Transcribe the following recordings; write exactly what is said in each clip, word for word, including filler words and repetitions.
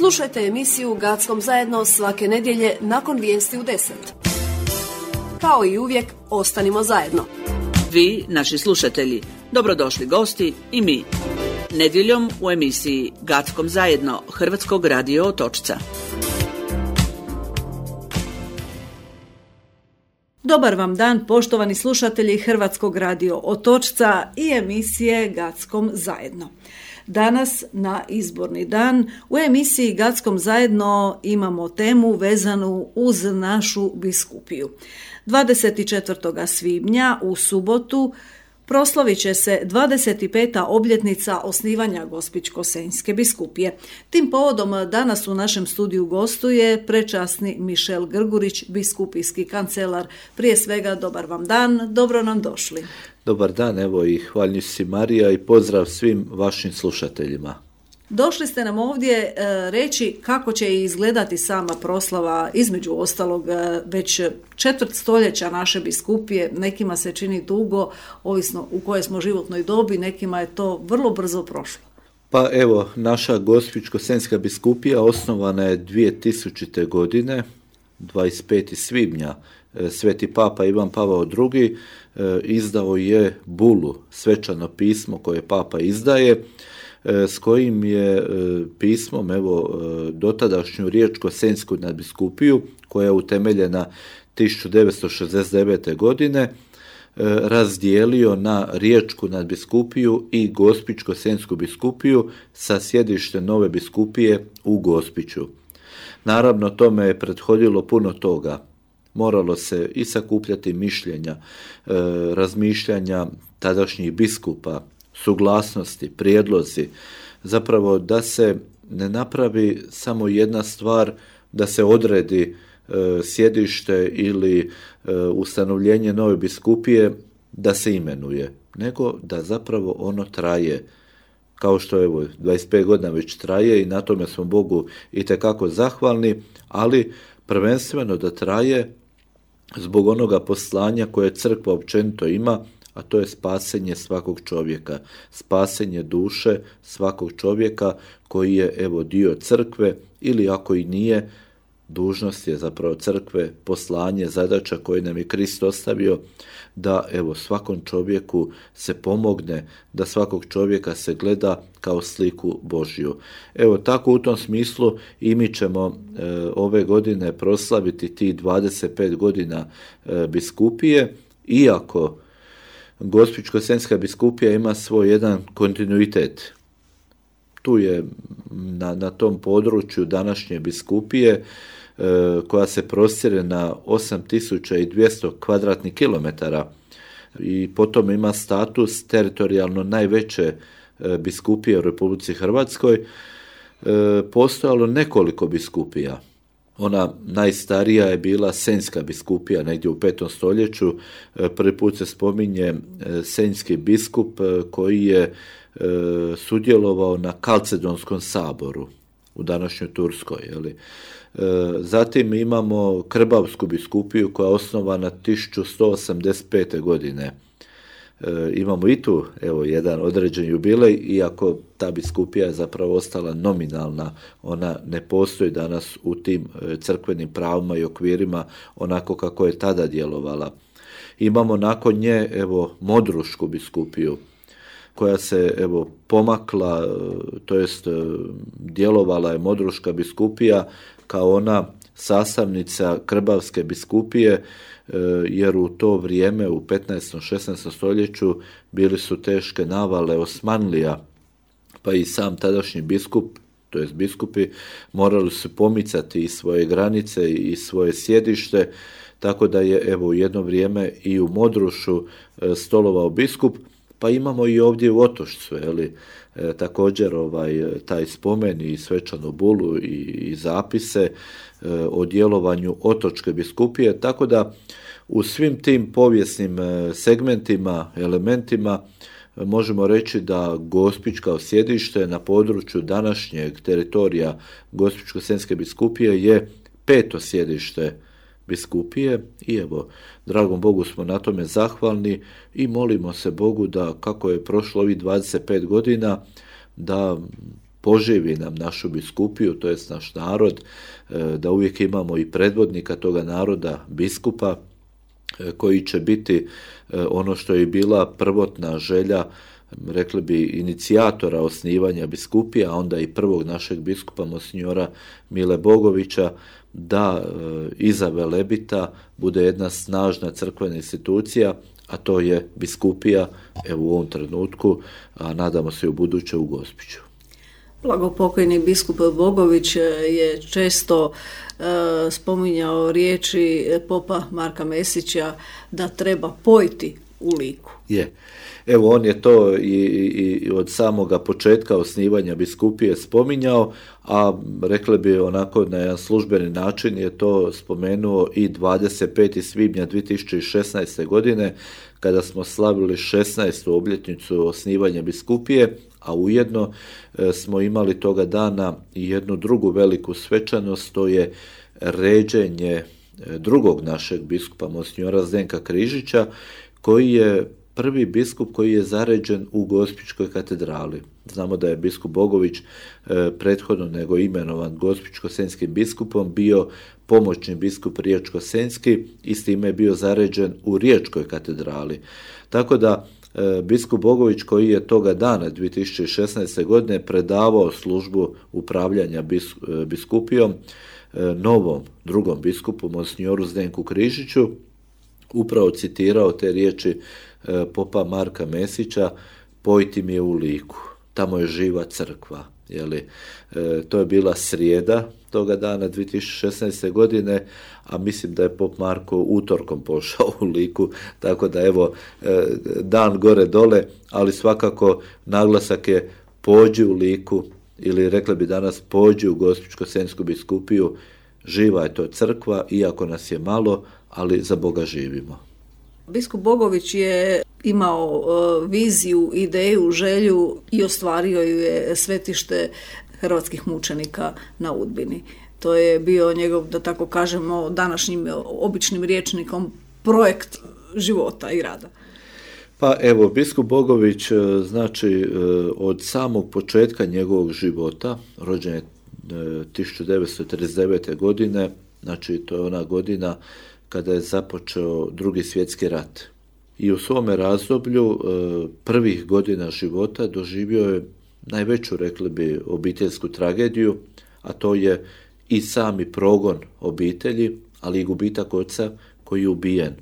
Slušajte emisiju Gatskom zajedno svake nedjelje nakon vijesti u deset. Kao i uvijek, ostanimo zajedno. Vi, naši slušatelji, dobrodošli gosti i mi. Nedjeljom u emisiji Gatskom zajedno Hrvatskog radio Otočca. Dobar vam dan, poštovani slušatelji Hrvatskog radio Otočca i emisije Gatskom zajedno. Danas na izborni dan u emisiji Gatskom zajedno imamo temu vezanu uz našu biskupiju. dvadeset četvrtog svibnja u subotu proslavit će se dvadeset peta obljetnica osnivanja Gospićko-senjske biskupije. Tim povodom danas u našem studiju gostuje prečasni Mišel Grgurić, biskupijski kancelar. Prije svega, dobar vam dan, dobro nam došli. Dobar dan, evo i hvaljujem si Marija i pozdrav svim vašim slušateljima. Došli ste nam ovdje e, reći kako će izgledati sama proslava, između ostalog e, već četvrt stoljeća naše biskupije. Nekima se čini dugo, ovisno u kojoj smo životnoj dobi, nekima je to vrlo brzo prošlo. Pa evo, naša Gospićko-senjska biskupija osnovana je dvije tisućite. godine, dvadeset petog svibnja. Sveti Papa Ivan Pavao drugi e, izdao je bulu, svečano pismo koje Papa izdaje, s kojim je pismom evo dotadašnju Riječko-senjsku nadbiskupiju, koja je utemeljena tisuću devetsto šezdeset devete. godine, razdijelio na Riječku nadbiskupiju i Gospićko-senjsku biskupiju sa sjedištem nove biskupije u Gospiću. Naravno, tome je prethodilo puno toga. Moralo se i sakupljati mišljenja, razmišljanja tadašnjih biskupa, suglasnosti, prijedlozi, zapravo da se ne napravi samo jedna stvar, da se odredi e, sjedište ili e, ustanovljenje nove biskupije, da se imenuje, nego da zapravo ono traje. Kao što evo dvadeset pet godina već traje i na tome smo Bogu itekako zahvalni, ali prvenstveno da traje zbog onoga poslanja koje crkva općenito ima, a to je spasenje svakog čovjeka, spasenje duše svakog čovjeka koji je evo dio crkve, ili ako i nije, dužnost je zapravo crkve, poslanje, zadaća koje nam je Krist ostavio, da evo svakom čovjeku se pomogne, da svakog čovjeka se gleda kao sliku Božju. Evo tako u tom smislu i mi ćemo e, ove godine proslaviti ti dvadeset pet godina e, biskupije, iako Gospićko-senjska biskupija ima svoj jedan kontinuitet. Tu je na, na tom području današnje biskupije e, koja se prostire na osam tisuća dvjesto kvadratnih kilometara i potom ima status teritorijalno najveće e, biskupije u Republici Hrvatskoj. E, postojalo nekoliko biskupija. Ona najstarija je bila Senjska biskupija negdje u petom stoljeću. Prvi put se spominje senjski biskup koji je sudjelovao na Kalcedonskom saboru u današnjoj Turskoj. Jeli. Zatim imamo Krbavsku biskupiju koja je osnovana tisuću sto osamdeset pete. godine. E, imamo i tu evo jedan određen jubilej, iako ta biskupija je zapravo ostala nominalna, ona ne postoji danas u tim crkvenim pravima i okvirima onako kako je tada djelovala. Imamo nakon nje evo Modrušku biskupiju koja se evo pomakla, to jest djelovala je Modruška biskupija kao ona sastavnica Krbavske biskupije, jer u to vrijeme u petnaestom. šesnaestom. stoljeću bili su teške navale Osmanlija, pa i sam tadašnji biskup, to jest biskupi, morali su pomicati i svoje granice i svoje sjedište, tako da je evo u jedno vrijeme i u Modrušu stolovao biskup, pa imamo i ovdje u Otočcu, jeli, e, također ovaj, taj spomen i svečanu bulu i, i zapise e, o djelovanju Otočke biskupije, tako da u svim tim povijesnim segmentima, elementima možemo reći da Gospić kao sjedište na području današnjeg teritorija Gospićko-senjske biskupije je peto sjedište biskupije i evo, dragom Bogu smo na tome zahvalni i molimo se Bogu da kako je prošlo ovih dvadeset pet godina, da poživi nam našu biskupiju, to jest naš narod, da uvijek imamo i predvodnika toga naroda, biskupa, koji će biti ono što je bila prvotna želja, rekli bi, inicijatora osnivanja biskupija, a onda i prvog našeg biskupa, monsinjora Mile Bogovića, da iza Velebita bude jedna snažna crkvena institucija, a to je biskupija, evo u ovom trenutku, a nadamo se i u buduće u Gospiću. Blagopokojni biskup Bogović je često e, spominjao riječi popa Marka Mesića da treba pojiti u liku. Je. Evo, on je to i, i od samoga početka osnivanja biskupije spominjao, a rekli bi onako na jedan službeni način je to spomenuo i dvadeset petog svibnja dvije tisuće šesnaeste. godine, kada smo slavili šesnaestu obljetnicu osnivanja biskupije, a ujedno e, smo imali toga dana i jednu drugu veliku svečanost, to je ređenje drugog našeg biskupa, monsinjora Zdenka Križića, koji je prvi biskup koji je zaređen u Gospićkoj katedrali. Znamo da je biskup Bogović e, prethodno nego imenovan Gospićko-senjskim biskupom bio pomoćni biskup Riječko-senjski i s time je bio zaređen u Riječkoj katedrali. Tako da e, biskup Bogović, koji je toga dana dvije tisuće šesnaeste. godine predavao službu upravljanja bis, e, biskupijom e, novom drugom biskupu, monsinjoru Zdenku Križiću, upravo citirao te riječi e, popa Marka Mesića: pojti mi je u liku, tamo je živa crkva. Jeli, e, to je bila srijeda toga dana dvije tisuće šesnaeste. godine, a mislim da je pop Marko utorkom pošao u liku, tako da evo e, dan gore dole, ali svakako naglasak je pođi u liku, ili rekli bi danas pođi u Gospićko-senjsku biskupiju, živa je to crkva, iako nas je malo, ali za Boga živimo. Biskup Bogović je imao uh, viziju, ideju, želju i ostvario ju je svetište hrvatskih mučenika na Udbini. To je bio njegov, da tako kažemo, današnjim običnim rječnikom projekt života i rada. Pa evo, biskup Bogović, znači od samog početka njegovog života, rođen je tisuću devetsto trideset devete. godine, znači to je ona godina kada je započeo Drugi svjetski rat. I u svome razdoblju prvih godina života doživio je najveću, rekli bi, obiteljsku tragediju, a to je i sami progon obitelji, ali i gubitak oca koji je ubijen.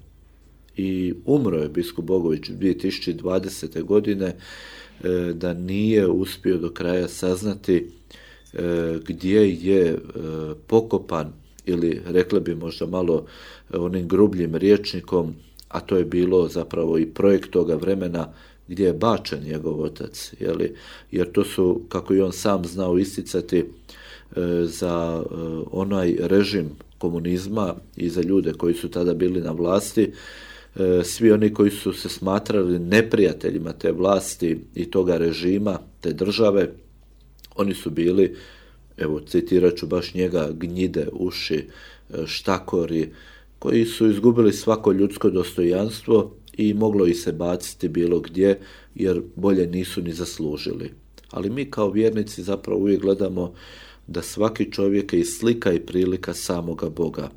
I umro je biskup Bogović dvije tisuće dvadesete. godine da nije uspio do kraja saznati gdje je pokopan, ili rekli bi možda malo onim grubljim rječnikom, a to je bilo zapravo i projekt toga vremena, gdje je bačen njegov otac, jeli? Jer to su, kako i on sam znao isticati, za onaj režim komunizma i za ljude koji su tada bili na vlasti, svi oni koji su se smatrali neprijateljima te vlasti i toga režima, te države, oni su bili, evo citirat ću baš njega, gnjide, uši, štakori, koji su izgubili svako ljudsko dostojanstvo i moglo ih se baciti bilo gdje, jer bolje nisu ni zaslužili. Ali mi kao vjernici zapravo uvijek gledamo da svaki čovjek je i slika i prilika samoga Boga.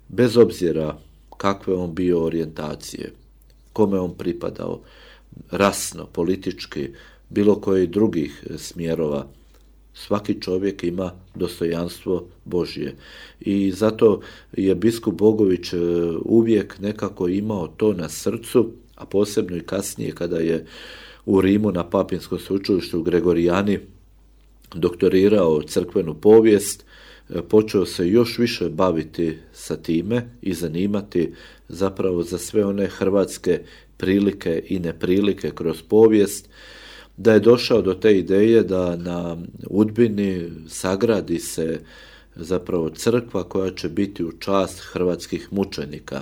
Bez obzira kakve on bio orijentacije, kome on pripadao, rasno, politički, bilo koji drugih smjerova, svaki čovjek ima dostojanstvo Božje. I zato je biskup Bogović uvijek nekako imao to na srcu, a posebno i kasnije kada je u Rimu na Papinskom sveučilištu u Gregorijani doktorirao crkvenu povijest, počeo se još više baviti sa time i zanimati zapravo za sve one hrvatske prilike i neprilike kroz povijest, da je došao do te ideje da na Udbini sagradi se zapravo crkva koja će biti u čast hrvatskih mučenika,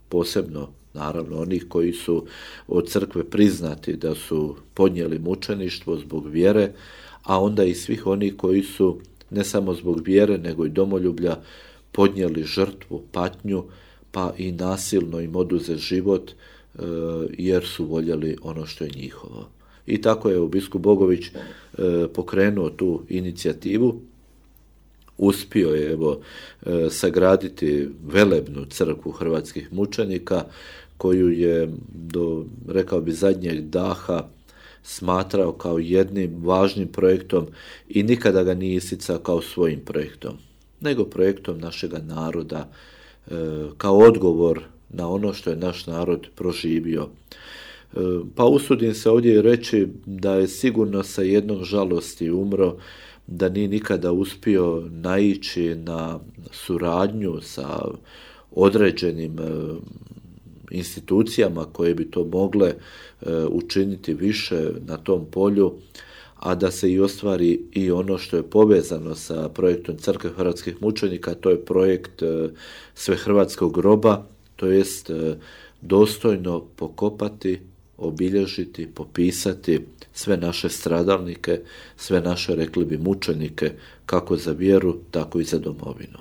posebno naravno onih koji su od crkve priznati da su podnijeli mučeništvo zbog vjere, a onda i svih onih koji su ne samo zbog vjere nego i domoljublja podnijeli žrtvu, patnju, pa i nasilno im oduzet život jer su voljeli ono što je njihovo. I tako je biskup Bogović e, pokrenuo tu inicijativu. Uspio je evo, e, sagraditi velebnu crkvu hrvatskih mučenika, koju je do, rekao bi, zadnjeg daha smatrao kao jednim važnim projektom i nikada ga nije isticao kao svojim projektom, nego projektom našega naroda, e, kao odgovor na ono što je naš narod proživio. E, pa usudim se ovdje reći da je sigurno sa jednom žalosti umro, da nije nikada uspio naići na suradnju sa određenim e, institucijama koje bi to mogle e, učiniti više na tom polju, a da se i ostvari i ono što je povezano sa projektom Crkve hrvatskih mučenika, to je projekt e, Svehrvatskog groba, to jest e, dostojno pokopati, obilježiti, popisati sve naše stradalnike, sve naše, rekli bi, mučenike, kako za vjeru, tako i za domovinu.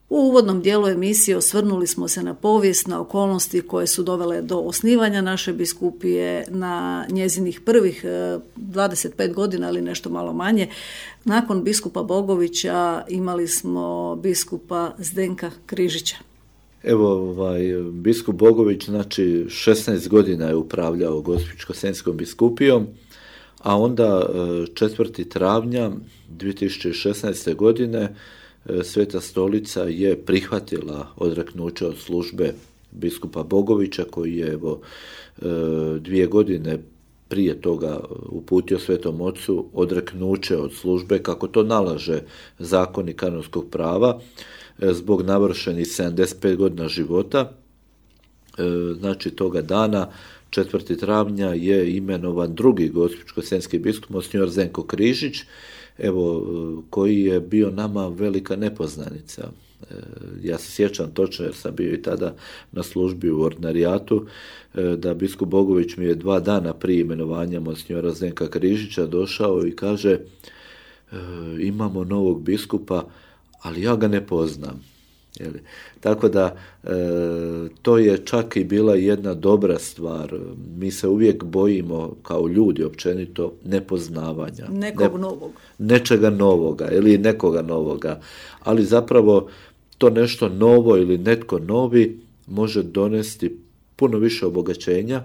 U uvodnom dijelu emisije osvrnuli smo se na povijest, na okolnosti koje su dovele do osnivanja naše biskupije, na njezinih prvih dvadeset pet godina ili nešto malo manje. Nakon biskupa Bogovića imali smo biskupa Zdenka Križića. Evo, ovaj, biskup Bogović, znači šesnaest godina je upravljao Gospićko-senjskom biskupijom, a onda četvrtog travnja dvije tisuće šesnaeste. godine Sveta Stolica je prihvatila odreknuće od službe biskupa Bogovića, koji je evo, dvije godine prije toga uputio Svetom Ocu odreknuće od službe, kako to nalaže zakoni kanonskog prava, zbog navršenih sedamdeset pet godina života. Znači toga dana, četvrtog travnja, je imenovan drugi gospićko-senjski biskup, monsignor Zdenko Križić, evo, koji je bio nama velika nepoznanica. Ja se sjećam točno, jer sam bio i tada na službi u ordinarijatu, da biskup Bogović mi je dva dana prije imenovanja monsignora Zdenka Križića došao i kaže: imamo novog biskupa, ali ja ga ne poznam. Jeli? Tako da e, to je čak i bila jedna dobra stvar. Mi se uvijek bojimo kao ljudi općenito nepoznavanja. Nekog ne, novog. Nečega novoga ili nekoga novoga. Ali zapravo to nešto novo ili netko novi može donesti puno više obogaćenja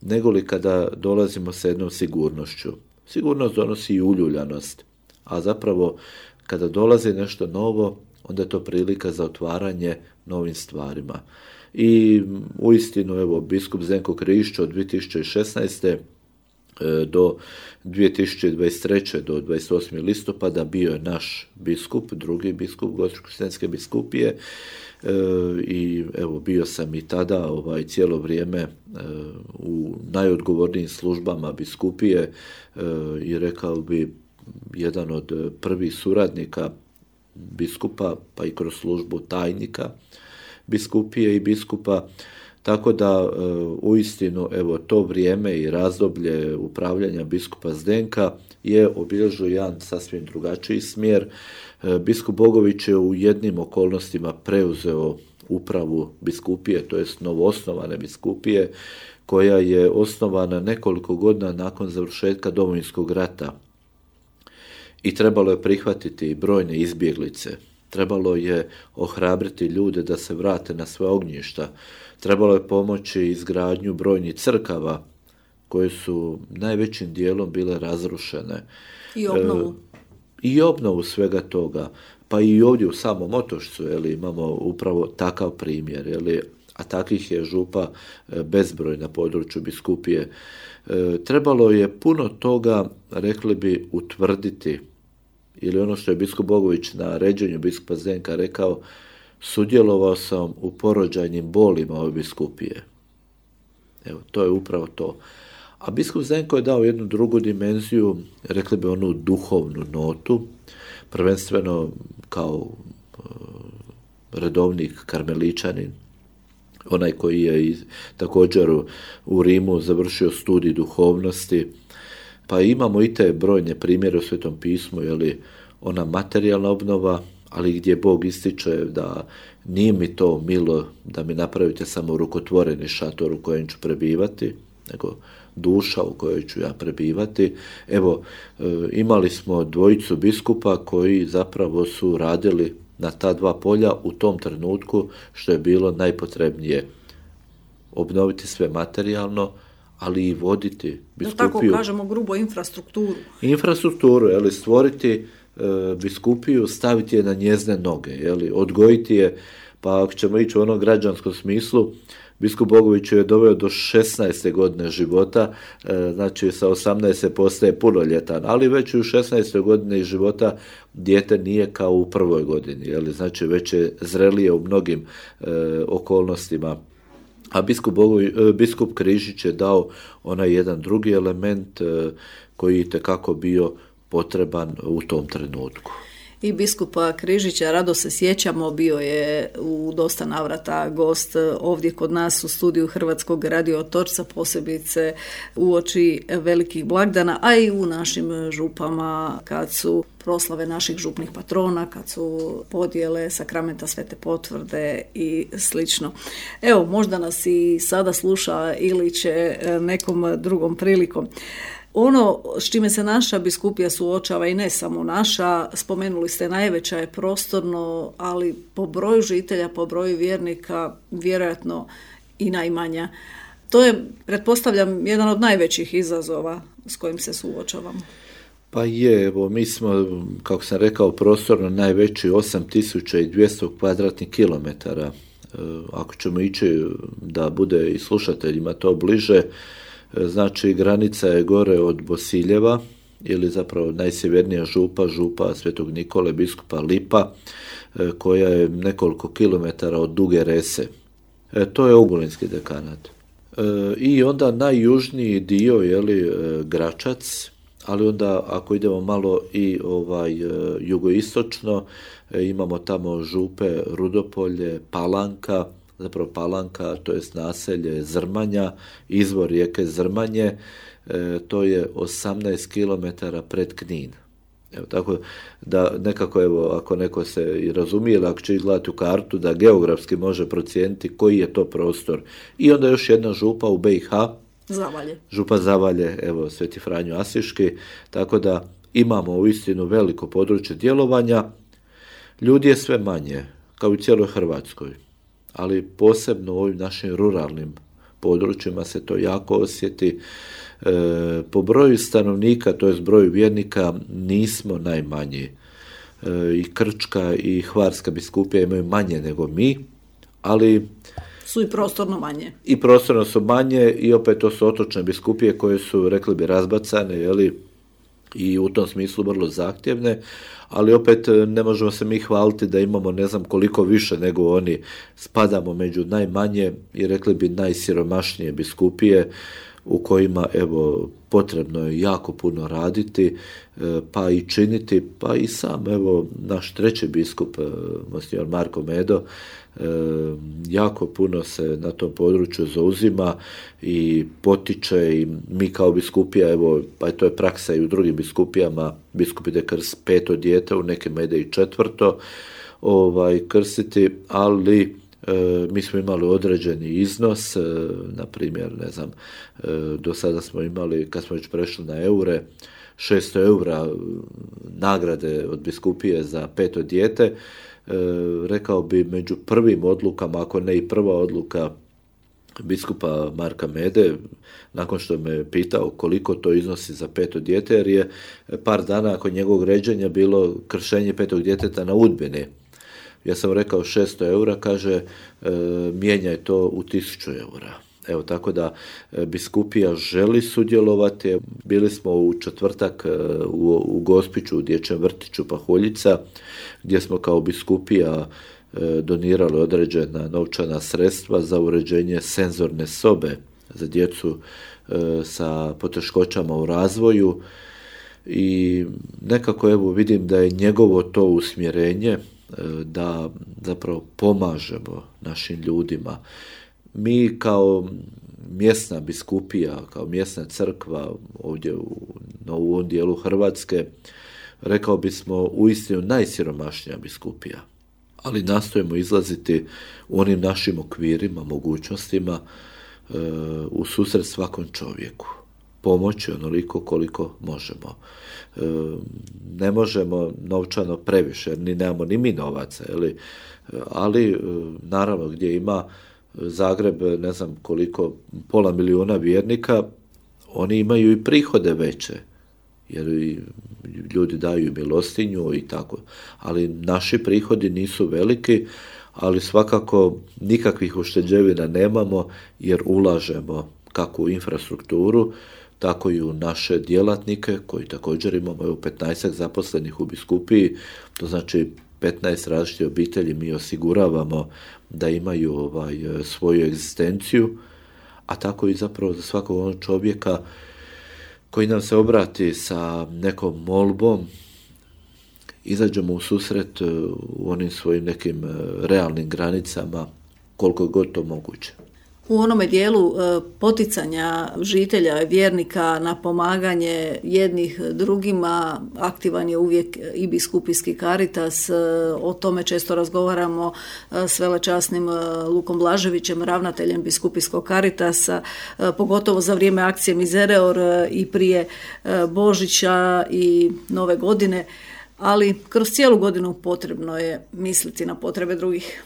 nego li kada dolazimo sa jednom sigurnošću. Sigurnost donosi i uljuljanost, a zapravo kada dolazi nešto novo, onda je to prilika za otvaranje novim stvarima. I uistinu, evo, biskup Zdenko Križić od dvije tisuće šesnaeste. do dvije tisuće dvadeset treće. do dvadeset osmog listopada bio je naš biskup, drugi biskup Gospićko-senjske biskupije, e, i evo, bio sam i tada ovaj, cijelo vrijeme e, u najodgovornijim službama biskupije e, i rekao bi jedan od prvih suradnika biskupa, pa i kroz službu tajnika biskupije i biskupa, tako da uistinu, evo, to vrijeme i razdoblje upravljanja biskupa Zdenka je obilježio jedan sasvim drugačiji smjer. Biskup Bogović je u jednim okolnostima preuzeo upravu biskupije, to jest novoosnovane biskupije, koja je osnovana nekoliko godina nakon završetka Domovinskog rata. I trebalo je prihvatiti brojne izbjeglice, trebalo je ohrabriti ljude da se vrate na svoja ognjišta, trebalo je pomoći izgradnju brojnih crkava koje su najvećim dijelom bile razrušene. I obnovu. E, I obnovu svega toga. Pa i ovdje u samom Otočcu, jeli, imamo upravo takav primjer, jeli, a takvih je župa bezbroj na području biskupije. E, trebalo je puno toga, rekli bi, utvrditi, ili ono što je biskup Bogović na ređenju biskupa Zdenka rekao: sudjelovao sam u porođajnim bolima ove biskupije. Evo, to je upravo to. A biskup Zdenko je dao jednu drugu dimenziju, rekli bi onu duhovnu notu, prvenstveno kao e, redovnik karmeličanin, onaj koji je također u Rimu završio studij duhovnosti. Pa imamo i te brojne primjere u Svetom pismu, jeli, ona materijalna obnova, ali gdje Bog ističe da nije mi to milo da mi napravite samo rukotvoreni šator u kojem ću prebivati, nego duša u kojoj ću ja prebivati. Evo, imali smo dvojicu biskupa koji zapravo su radili na ta dva polja u tom trenutku što je bilo najpotrebnije. Obnoviti sve materijalno, ali i voditi biskupiju. Da tako kažemo grubo infrastrukturu. Infrastrukturu, jeli, stvoriti e, biskupiju, staviti je na njezine noge, jeli, odgojiti je, pa ako ćemo ići u onom građanskom smislu, biskup Bogović je doveo do šesnaeste godine života, e, znači sa osamnaeste postaje punoljetan, ali već u šesnaestoj godine života dijete nije kao u prvoj godini, jeli, znači već je zrelije u mnogim e, okolnostima. A biskup, Bogović, biskup Križić je dao onaj jedan drugi element e, koji je itekako bio potreban u tom trenutku. I biskupa Križića rado se sjećamo, bio je u dosta navrata gost ovdje kod nas u studiju Hrvatskog radio Otočca, posebice uoči velikih blagdana, a i u našim župama kad su proslave naših župnih patrona, kad su podjele sakramenta Svete potvrde i slično. Evo, možda nas i sada sluša ili će nekom drugom prilikom. Ono s čime se naša biskupija suočava, i ne samo naša, spomenuli ste najveća je prostorno, ali po broju žitelja, po broju vjernika, vjerojatno i najmanja. To je, pretpostavljam, jedan od najvećih izazova s kojim se suočavamo. Pa je, evo, mi smo, kako sam rekao, prostorno najveći osam tisuća dvjesto kvadratnih kilometara. Ako ćemo ići da bude i slušateljima to bliže, znači granica je gore od Bosiljeva, ili zapravo najsjevernija župa, župa Svetog Nikole, biskupa Lipa, koja je nekoliko kilometara od Duge Rese. E, to je Ogulinski dekanat. E, I onda najjužniji dio, jeli, Gračac, ali onda ako idemo malo i ovaj jugoistočno, e, imamo tamo župe Rudopolje, Palanka, zapravo Palanka, to je naselje Zrmanja, izvor rijeke Zrmanje, e, to je osamnaest kilometara pred Knin. Evo, tako da nekako, evo, ako neko se i razumije, ili ako će izgledati u kartu, da geografski može procijeniti koji je to prostor. I onda još jedna župa u B i H, Zavalje. Župa Zavalje, evo, Sveti Franjo Asiški, tako da imamo uistinu veliko područje djelovanja. Ljudi je sve manje, kao u cijeloj Hrvatskoj, ali posebno u ovim našim ruralnim područjima se to jako osjeti. E, po broju stanovnika, to jest broju vjernika, nismo najmanji. E, I Krčka i Hvarska biskupija imaju manje nego mi, ali su i prostorno manje. I prostorno su manje i opet to su otočne biskupije koje su, rekli bi, razbacane, jeli, i u tom smislu vrlo zahtjevne, ali opet ne možemo se mi hvaliti da imamo ne znam koliko više nego oni. Spadamo među najmanje i, rekli bi, najsiromašnije biskupije u kojima, evo, potrebno je jako puno raditi, pa i činiti, pa i sam, evo, naš treći biskup, monsignor Marko Medo, jako puno se na tom području zauzima i potiče, i mi kao biskupija, evo, pa to je praksa i u drugim biskupijama, biskup ide krst peto dijete, u nekima ide i četvrto ovaj, krstiti, ali e, mi smo imali određeni iznos, e, na primjer, ne znam, e, do sada smo imali, kad smo već prešli na eure, šesto eura nagrade od biskupije za peto dijete. E, rekao bi među prvim odlukama, ako ne i prva odluka biskupa Marka Mede, nakon što me pitao koliko to iznosi za peto dijete, jer je par dana nakon njegovog ređenja bilo kršenje petog djeteta na Udbini. Ja sam rekao šesto eura, kaže, e, mijenjaj to u tisuću eura. Evo, tako da biskupija želi sudjelovati. Bili smo u četvrtak u, u Gospiću, u dječjem vrtiću Pahuljica, gdje smo kao biskupija donirali određena novčana sredstva za uređenje senzorne sobe za djecu sa poteškoćama u razvoju. I nekako, evo, vidim da je njegovo to usmjerenje da zapravo pomažemo našim ljudima. Mi kao mjesna biskupija, kao mjesna crkva ovdje u, u ovom dijelu Hrvatske, rekao bismo uistinu najsiromašnija biskupija, ali nastojimo izlaziti u onim našim okvirima, mogućnostima, u susret svakom čovjeku. Pomoći onoliko koliko možemo. E, ne možemo novčano previše, ni nemamo ni mi novaca, ali, ali naravno gdje ima Zagreb, ne znam koliko, pola milijuna vjernika, oni imaju i prihode veće, jer i ljudi daju milostinju i tako. Ali naši prihodi nisu veliki, ali svakako nikakvih ušteđevina nemamo, jer ulažemo kako u infrastrukturu, tako i u naše djelatnike, koji također imamo evo petnaest zaposlenih u biskupiji, to znači petnaest različitih obitelji mi osiguravamo da imaju ovaj, svoju egzistenciju, a tako i zapravo za svakog onog čovjeka koji nam se obrati sa nekom molbom, izađemo u susret u onim svojim nekim realnim granicama koliko je god to moguće. U onome dijelu poticanja žitelja, vjernika na pomaganje jednih drugima, aktivan je uvijek i biskupijski Caritas. O tome često razgovaramo s velečasnim Lukom Blaževićem, ravnateljem biskupijskog Caritasa, pogotovo za vrijeme akcije Misereor i prije Božića i Nove godine, ali kroz cijelu godinu potrebno je misliti na potrebe drugih.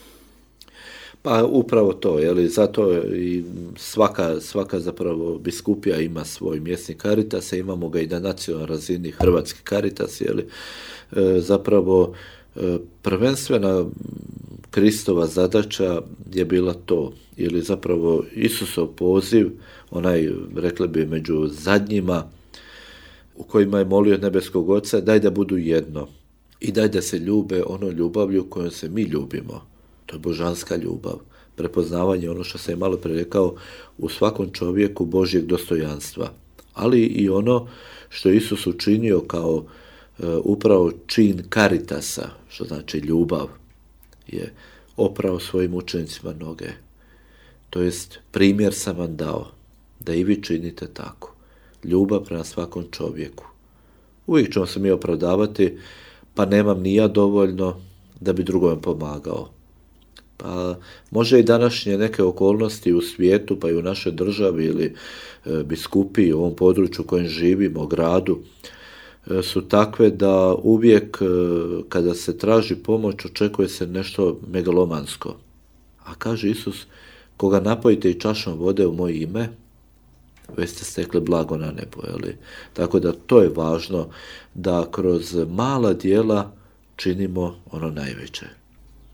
Pa upravo to, jeli, zato i svaka, svaka zapravo biskupija ima svoj mjesni Caritas, imamo ga i na nacionalnoj razini Hrvatski Caritas, jeli, e, zapravo e, prvenstvena Kristova zadaća je bila to, ili zapravo Isusov poziv, onaj, rekli bi, među zadnjima, u kojima je molio nebeskog Oca, daj da budu jedno i daj da se ljube ono ljubavlju kojom se mi ljubimo. To je božanska ljubav, prepoznavanje, ono što sam je malo prije rekao, u svakom čovjeku Božjeg dostojanstva, ali i ono što je Isus učinio kao e, upravo čin Caritasa, što znači ljubav, je oprao svojim učenicima noge. To jest primjer sam vam dao, da i vi činite tako. Ljubav prema svakom čovjeku. Uvijek ćemo se mi opravdavati, pa nemam ni ja dovoljno da bi drugome pomagao. Pa može i današnje neke okolnosti u svijetu, pa i u našoj državi ili e, biskupiji, u ovom području u kojem živimo, gradu, e, su takve da uvijek e, kada se traži pomoć očekuje se nešto megalomansko. A kaže Isus, koga napojite i čašom vode u moje ime, već ste stekli blago na nebo. Jeli? Tako da to je važno, da kroz mala djela činimo ono najveće.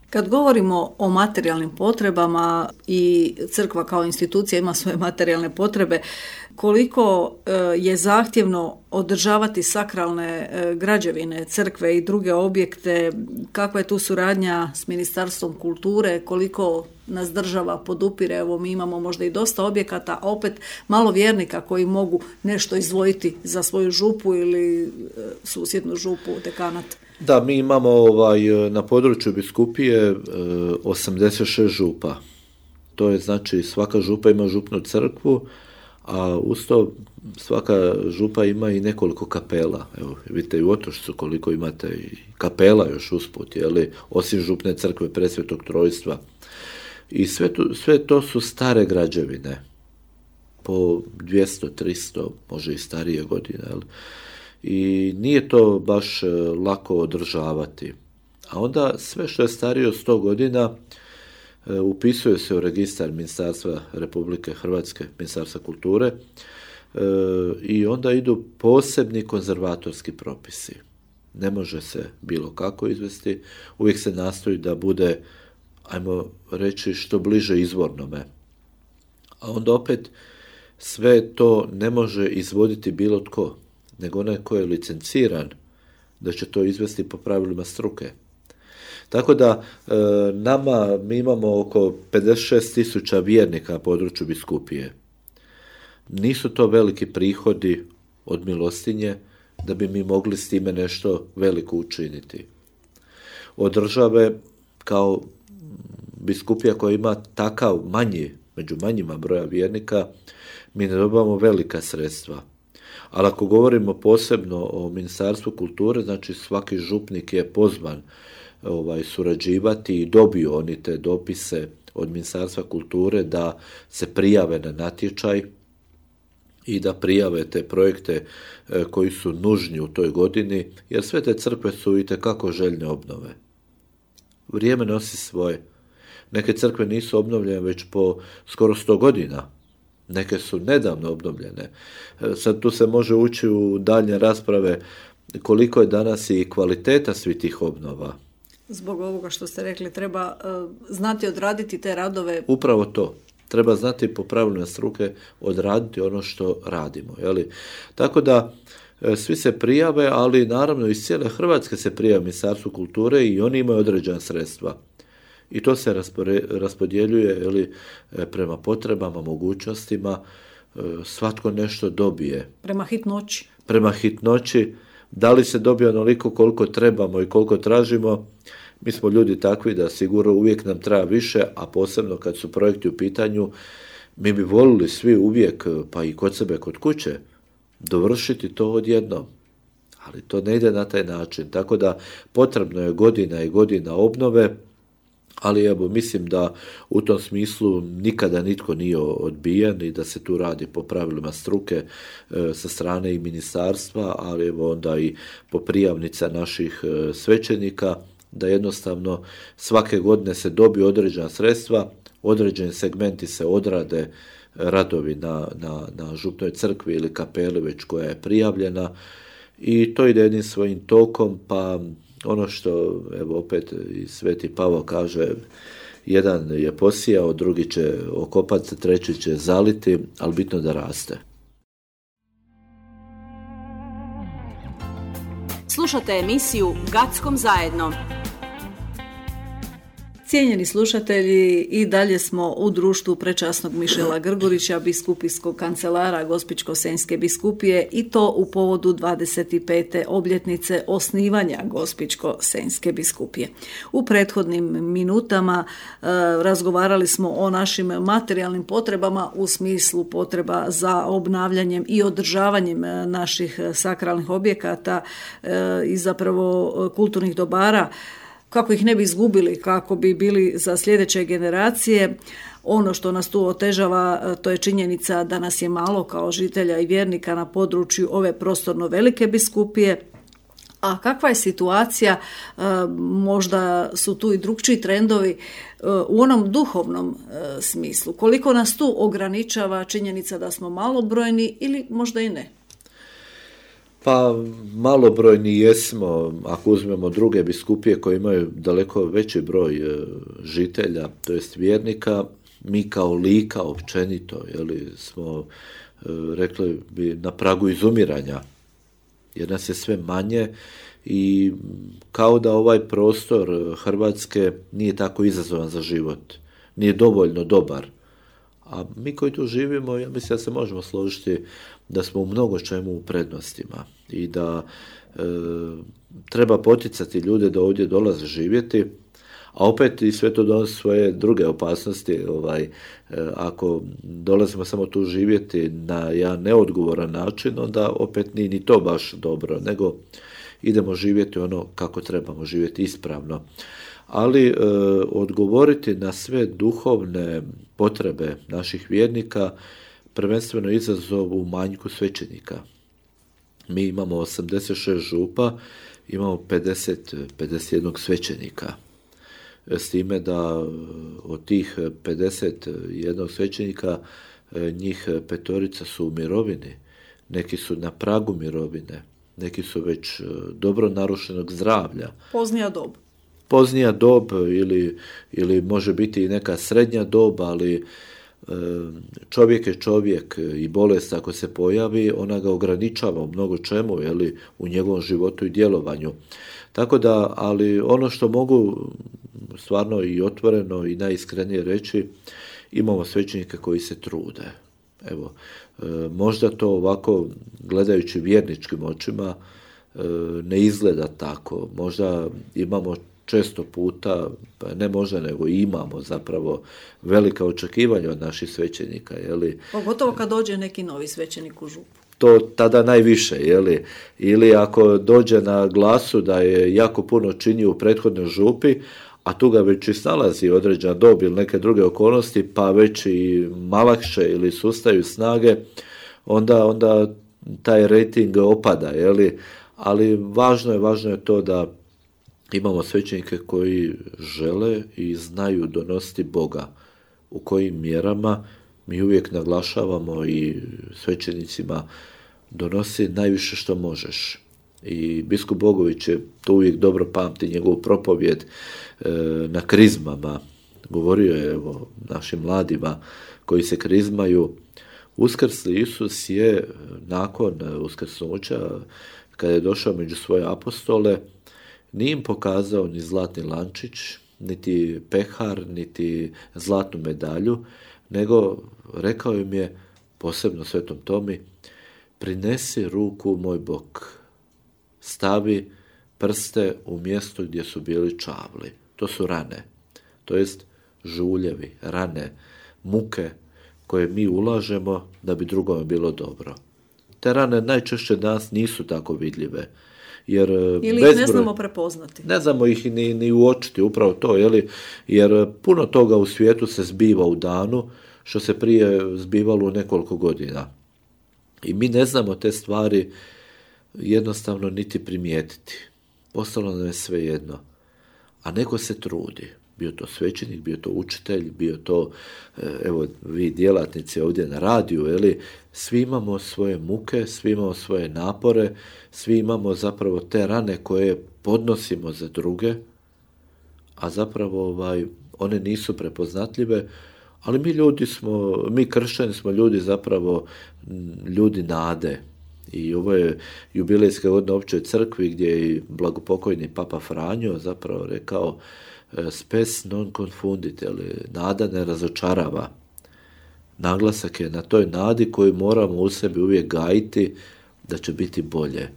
Kad govorimo o materijalnim potrebama i crkva kao institucija ima svoje materijalne potrebe, koliko je zahtjevno održavati sakralne građevine, crkve i druge objekte, kakva je tu suradnja s Ministarstvom kulture, koliko nas država podupire, evo mi imamo možda i dosta objekata, a opet malo vjernika koji mogu nešto izdvojiti za svoju župu ili susjednu župu, dekanat. Da, mi imamo ovaj, na području biskupije osamdeset šest župa. To je znači svaka župa ima župnu crkvu, a uz to svaka župa ima i nekoliko kapela. Evo, vidite i u Otočcu koliko imate i kapela još usput, jeli, osim župne crkve Presvetog Trojstva. I sve to, sve to su stare građevine, po dvjesto, tristo, može i starije godine, jel? I nije to baš lako održavati. A onda sve što je starije od sto godina e, upisuje se u registar Ministarstva Republike Hrvatske, Ministarstva kulture, e, i onda idu posebni konzervatorski propisi. Ne može se bilo kako izvesti, uvijek se nastoji da bude, ajmo reći, što bliže izvornome. A onda opet sve to ne može izvoditi bilo tko, nego onaj ko je licenciran da će to izvesti po pravilima struke. Tako da e, nama, mi imamo oko pedeset šest tisuća vjernika na području biskupije. Nisu to veliki prihodi od milostinje da bi mi mogli s time nešto veliko učiniti. Od države, kao biskupija koja ima takav manji, među manjima broja vjernika, mi ne dobivamo velika sredstva. Ali ako govorimo posebno o Ministarstvu kulture, znači svaki župnik je pozvan ovaj, surađivati i dobiju oni te dopise od Ministarstva kulture da se prijave na natječaj i da prijave te projekte koji su nužni u toj godini, jer sve te crkve su itekako željne obnove. Vrijeme nosi svoje. Neke crkve nisu obnovljene već po skoro sto godina. Neke su nedavno obnovljene. Sad tu se može ući u daljnje rasprave koliko je danas i kvaliteta svih tih obnova. Zbog ovoga što ste rekli, treba uh, znati odraditi te radove. Upravo to. Treba znati po pravilima struke odraditi ono što radimo. Jeli? Tako da e, svi se prijave, ali naravno iz cijele Hrvatske se prijave Ministarstvu kulture i oni imaju određena sredstva. I to se raspore, raspodjeljuje jeli, prema potrebama, mogućnostima, e, svatko nešto dobije. Prema hitnoći. Prema hitnoći. Da li se dobije onoliko koliko trebamo i koliko tražimo? Mi smo ljudi takvi da sigurno uvijek nam treba više, a posebno kad su projekti u pitanju, mi bi volili svi uvijek, pa i kod sebe, kod kuće, dovršiti to odjednom. Ali to ne ide na taj način. Tako da potrebno je godina i godina obnove, ali evo, mislim da u tom smislu nikada nitko nije odbijen i da se tu radi po pravilima struke e, sa strane i ministarstva, ali evo onda i po prijavnica naših e, svećenika, da jednostavno svake godine se dobiju određena sredstva, određeni segmenti se odrade, radovi na, na, na župnoj crkvi ili kapeli već koja je prijavljena i to ide jednim svojim tokom, pa ono što evo opet i Sveti Pavao kaže, jedan je posijao, drugi će okopati, treći će zaliti, ali bitno da raste. Slušate emisiju Gackom zajedno. Cijenjeni slušatelji, i dalje smo u društvu prečasnog Mišela Grgurića, biskupijskog kancelara Gospićko-senjske biskupije, i to u povodu dvadeset pete obljetnice osnivanja Gospićko-senjske biskupije. U prethodnim minutama e, razgovarali smo o našim materijalnim potrebama u smislu potreba za obnavljanjem i održavanjem naših sakralnih objekata e, i zapravo kulturnih dobara, kako ih ne bi izgubili, kako bi bili za sljedeće generacije. Ono što nas tu otežava, to je činjenica da nas je malo kao žitelja i vjernika na području ove prostorno velike biskupije. A kakva je situacija, možda su tu i drugčiji trendovi u onom duhovnom smislu? Koliko nas tu ograničava činjenica da smo malobrojni ili možda i ne? Pa malobrojni jesmo, ako uzmemo druge biskupije koje imaju daleko veći broj žitelja, to jest vjernika, mi kao Lika općenito, jeli, smo rekli bi na pragu izumiranja, jer nas je sve manje i kao da ovaj prostor Hrvatske nije tako izazovan za život, nije dovoljno dobar. A mi koji tu živimo, ja mislim da se možemo složiti da smo u mnogo čemu u prednostima i da e, treba poticati ljude da ovdje dolaze živjeti, a opet i sve to donosi svoje druge opasnosti. Ovaj, e, ako dolazimo samo tu živjeti na jedan neodgovoran način, onda opet nije ni to baš dobro, nego idemo živjeti ono kako trebamo živjeti ispravno. Ali e, odgovoriti na sve duhovne potrebe naših vjernika prvenstveno izazov u manjku svećenika. Mi imamo osamdeset šest župa, imamo pedeset, pedeset jedan svećenika. S time da od tih pedeset jedan svećenika njih petorica su u mirovini, neki su na pragu mirovine, neki su već dobro narušenog zdravlja. Poznija dob. Poznija dob ili, ili može biti i neka srednja dob, ali čovjek je čovjek i bolest ako se pojavi, ona ga ograničava u mnogo čemu, jeli, u njegovom životu i djelovanju. Tako da, ali ono što mogu stvarno i otvoreno i najiskrenije reći, imamo svećenike koji se trude. Evo, možda to ovako, gledajući vjerničkim očima, ne izgleda tako. Možda imamo često puta, pa ne možda, nego imamo zapravo velika očekivanja od naših svećenika. Jeli? Pogotovo kad dođe neki novi svećenik u župu. To tada najviše, jeli? Ili ako dođe na glasu da je jako puno činio u prethodnoj župi, a tu ga već i snalazi određena dob ili neke druge okolnosti, pa već i malakše ili sustaju snage, onda, onda taj rating opada, jeli? Ali važno je, važno je to da imamo svećenike koji žele i znaju donositi Boga. U kojim mjerama mi uvijek naglašavamo i svećenicima donosi najviše što možeš. I biskup Bogović je to uvijek dobro pamti, njegovu propovjed e, na krizmama. Govorio je evo, našim mladima koji se krizmaju. Uskrsli Isus je nakon uskrsnuća, kada je došao među svoje apostole, nije im pokazao ni zlatni lančić, niti pehar, niti zlatnu medalju, nego rekao im je, posebno svetom Tomi, prinesi ruku u moj bok, stavi prste u mjesto gdje su bili čavli. To su rane, to jest žuljevi, rane, muke koje mi ulažemo da bi drugome bilo dobro. Te rane najčešće danas nisu tako vidljive. Jer ili ih ne znamo prepoznati. Ne znamo ih ni, ni uočiti, upravo to, jeli? Jer puno toga u svijetu se zbiva u danu, što se prije zbivalo u nekoliko godina. I mi ne znamo te stvari jednostavno niti primijetiti. Postalo nam je sve jedno. A neko se trudi. Bio to svećenik, bio to učitelj, bio to, evo, vi djelatnici ovdje na radiju, jeli, svi imamo svoje muke, svi imamo svoje napore, svi imamo zapravo te rane koje podnosimo za druge, a zapravo ovaj, one nisu prepoznatljive, ali mi ljudi smo, mi kršćani smo ljudi zapravo ljudi nade. I ovo je jubilejska godina Općoj crkvi gdje je i blagopokojni Papa Franjo zapravo rekao spes non confundit, ali nada ne razočarava. Naglasak je na toj nadi koju moramo u sebi uvijek gajiti da će biti bolje.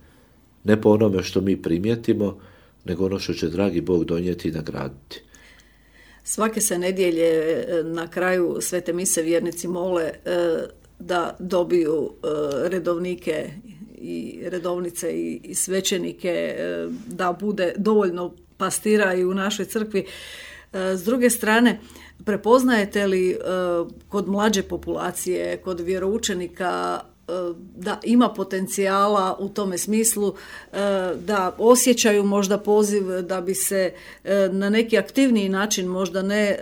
Ne po onome što mi primijetimo, nego ono što će dragi Bog donijeti i nagraditi. Svake se nedjelje na kraju svete mise vjernici mole da dobiju redovnike i redovnice i svećenike, da bude dovoljno pastira i u našoj crkvi. S druge strane, prepoznajete li kod mlađe populacije, kod vjeroučenika da ima potencijala u tome smislu, da osjećaju možda poziv da bi se na neki aktivniji način, možda ne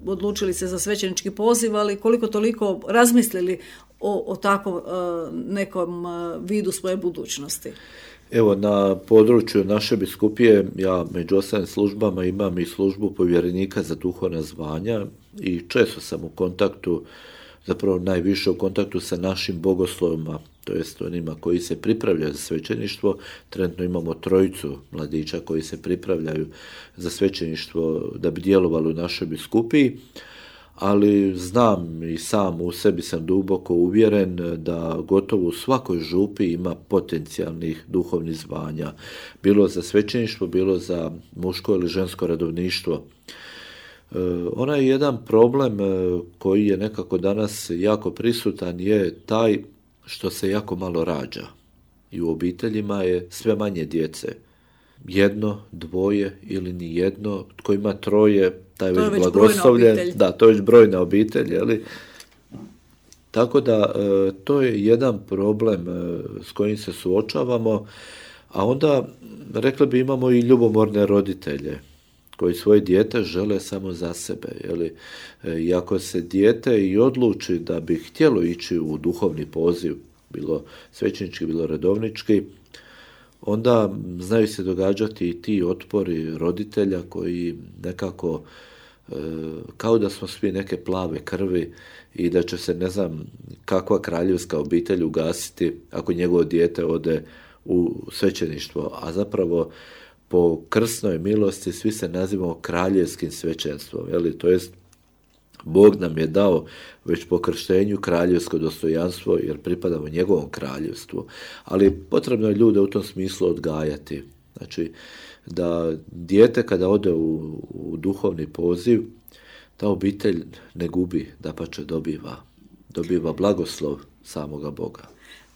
odlučili se za svećenički poziv, ali koliko toliko razmislili o, o takvom nekom vidu svoje budućnosti? Evo, na području naše biskupije, ja među ostalim službama imam i službu povjerenika za duhovna zvanja i često sam u kontaktu, zapravo najviše u kontaktu sa našim bogoslovima, to jest onima koji se pripravljaju za svećeništvo. Trenutno imamo trojicu mladića koji se pripravljaju za svećeništvo da bi djelovali u našoj biskupiji, ali znam i sam u sebi sam duboko uvjeren da gotovo u svakoj župi ima potencijalnih duhovnih zvanja, bilo za svećeništvo, bilo za muško ili žensko redovništvo. Onaj jedan problem koji je nekako danas jako prisutan je taj što se jako malo rađa i u obiteljima je sve manje djece. Jedno, dvoje ili ni jedno, tko ima troje, taj to već blagoslovljen. Da, to je već brojna obitelj, jeli? Tako da to je jedan problem s kojim se suočavamo, a onda rekli bi imamo i ljubomorne roditelje koji svoje dijete žele samo za sebe. Jeli? I ako se dijete i odluči da bi htjelo ići u duhovni poziv, bilo svećenički, bilo redovnički, onda znaju se događati i ti otpori roditelja koji nekako kao da smo svi neke plave krvi i da će se ne znam kakva kraljevska obitelj ugasiti ako njegovo dijete ode u svećeništvo, a zapravo po krsnoj milosti svi se nazivamo kraljevskim svećenstvom, jeli? To jest Bog nam je dao već po krštenju kraljevsko dostojanstvo jer pripadamo njegovom kraljevstvu, ali potrebno je ljude u tom smislu odgajati. Znači, da dijete kada ode u, u duhovni poziv, ta obitelj ne gubi, dapače dobiva, dobiva blagoslov samoga Boga.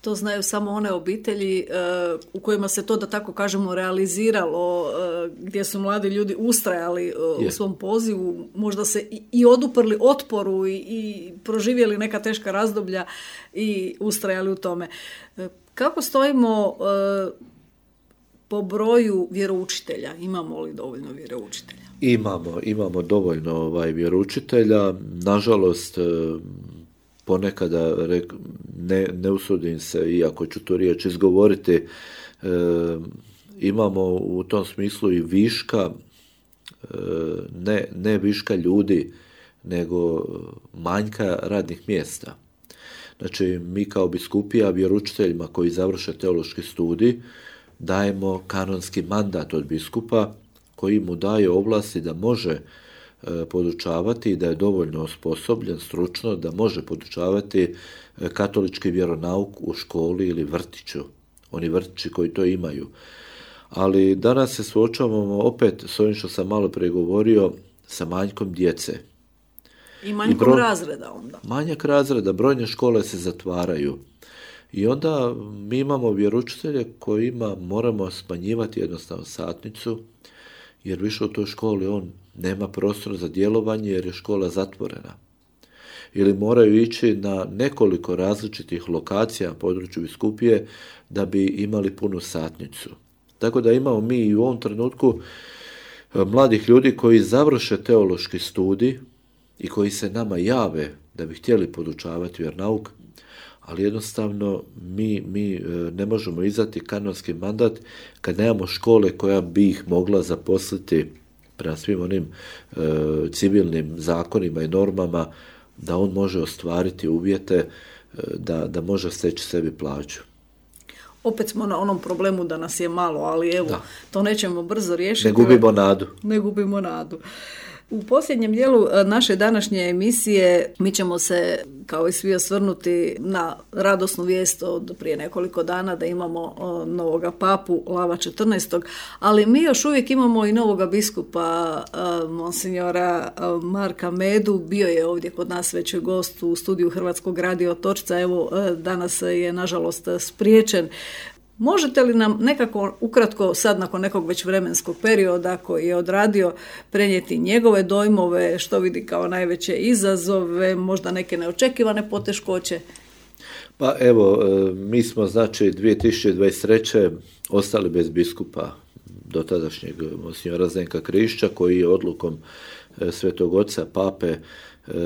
To znaju samo one obitelji uh, u kojima se to, da tako kažemo, realiziralo, uh, gdje su mladi ljudi ustrajali uh, u svom pozivu, možda se i, i oduprli otporu i, i proživjeli neka teška razdoblja i ustrajali u tome. Uh, kako stojimo uh, po broju vjeroučitelja? Imamo li dovoljno vjeroučitelja? Imamo, imamo dovoljno ovaj, vjeroučitelja. Nažalost, uh, ponekada ne, ne usudim se, iako ću tu riječ izgovoriti, e, imamo u tom smislu i viška, e, ne, ne viška ljudi, nego manjka radnih mjesta. Znači, mi kao biskupija vjeroučiteljima koji završe teološki studij dajemo kanonski mandat od biskupa koji mu daje ovlasti da može podučavati i da je dovoljno osposobljen stručno da može podučavati katolički vjeronauk u školi ili vrtiću. Oni vrtići koji to imaju. Ali danas se suočavamo opet s ovim što sam malo prije govorio, sa manjkom djece. I manjkom I bro... razreda onda. Manjak razreda, brojne škole se zatvaraju. I onda mi imamo vjeroučitelje kojima moramo smanjivati jednostavno satnicu, jer više u toj školi on nema prostora za djelovanje jer je škola zatvorena. Ili moraju ići na nekoliko različitih lokacija na području biskupije da bi imali punu satnicu. Tako da imamo mi i u ovom trenutku mladih ljudi koji završe teološki studij i koji se nama jave da bi htjeli podučavati vjernauk, ali jednostavno mi, mi ne možemo izdati kanonski mandat kad nemamo škole koja bi ih mogla zaposliti prema svim onim e, civilnim zakonima i normama da on može ostvariti uvjete e, da, da može steći sebi plaću. Opet smo na onom problemu da nas je malo, ali evo, da. To nećemo brzo riješiti. Ne gubimo nadu. Ne gubimo nadu. U posljednjem dijelu naše današnje emisije mi ćemo se, kao i svi, osvrnuti na radosnu vijest od prije nekoliko dana da imamo novoga papu Lava četrnaestog, ali mi još uvijek imamo i novoga biskupa monsinjora Marka Medu. Bio je ovdje kod nas već gost u studiju Hrvatskog radija Otočca, evo danas je nažalost spriječen. Možete li nam nekako ukratko sad nakon nekog već vremenskog perioda koji je odradio prenijeti njegove dojmove, što vidi kao najveće izazove, možda neke neočekivane poteškoće? Pa evo, mi smo znači dvije tisuće dvadeset treće ostali bez biskupa dotadašnjeg monsinjora Zdenka Krišća koji je odlukom Svetog Oca Pape